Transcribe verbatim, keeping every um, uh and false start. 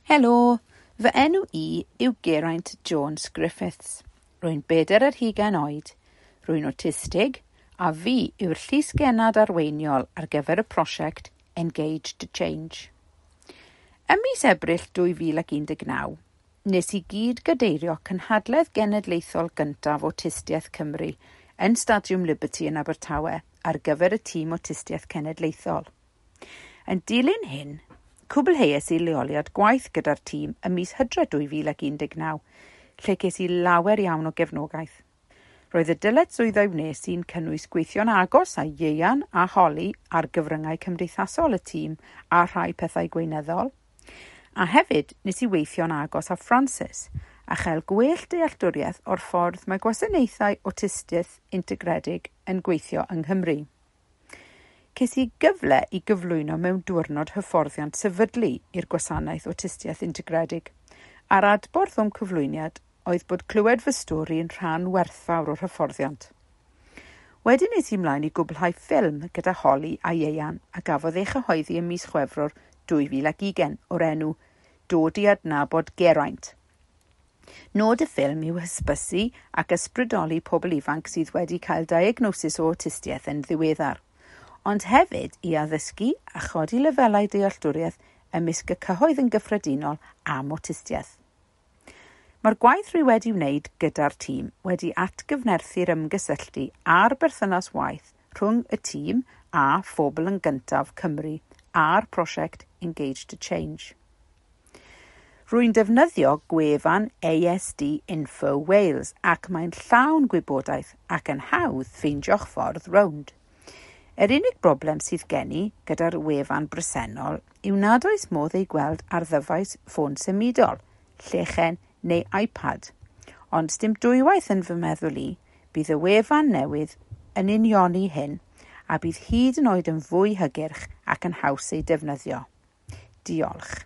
Helo, fy enw i yw Geraint Jones Griffiths. Rwy'n bedair ar hugain oed, rwy'n awtistig, a fi yw'r llysgennad arweiniol ar gyfer y prosiect Engage to Change. Ym mis Ebrill dwy fil ac un deg naw, nes i gyd gadeirio cynhadledd genedlaethol gyntaf Awtistiaeth Cymru yn Stadiwm Liberty yn Abertawe ar gyfer y tîm Awtistiaeth Cenedlaethol. Yn dilyn hyn, cwblheais i leoliad gwaith gyda'r tîm ym mis Hydref dwy fil ac un deg naw, lle ces i lawer iawn o gefnogaeth. Roedd y dyletswyddau wnes i'n cynnwys gweithio'n agos â Ieuan a Holly ar gyfryngau cymdeithasol y tîm a rhai pethau gweinyddol. A hefyd nes i weithio'n agos â Francis a chael gwell dealltwriaeth o'r ffordd mae gwasanaethau awtistiaeth integredig yn gweithio yng Nghymru. Ces i gyfle i gyflwyno mewn diwrnod hyfforddiant sefydlu i'r gwasanaeth awtistiaeth integredig, a'r adborth o'm cyflwyniad oedd bod clywed fy stori yn rhan werthfawr o'r hyfforddiant. Wedyn es i ymlaen i gwblhau ffilm gyda Holly a Ieuan a gafodd ei chyhoeddi ym mis Chwefror dwy fil ac ugain o'r enw Dod i adnabod Geraint. Nod y ffilm yw hysbysu ac ysbrydoli pobl ifanc sydd wedi cael diagnosis o awtistiaeth yn ddiweddar, ond hefyd i addysgu a chodi lefelau dealltwriaeth ymysg y cyhoedd yn gyffredinol am awtistiaeth. Mae'r gwaith rwy wedi wneud gyda'r tîm wedi atgyfnerthu'r ymgysylltu a'r berthynas waith rhwng y tîm a Phobl yn Gyntaf Cymru a'r prosiect Engage to Change. Rwy'n defnyddio gwefan A S D Info Wales ac mae'n llawn gwybodaeth ac yn hawdd ffeindio'ch ffordd rownd. Yr unig broblem sydd gen i gyda'r wefan bresennol yw nad oes modd ei gweld ar ddyfais ffôn symudol, llechen neu iPad. Ond dim dwywaith yn fy meddwl i, bydd y wefan newydd yn unioni hyn a bydd hyd yn oed yn fwy hygyrch ac yn haws ei defnyddio. Diolch.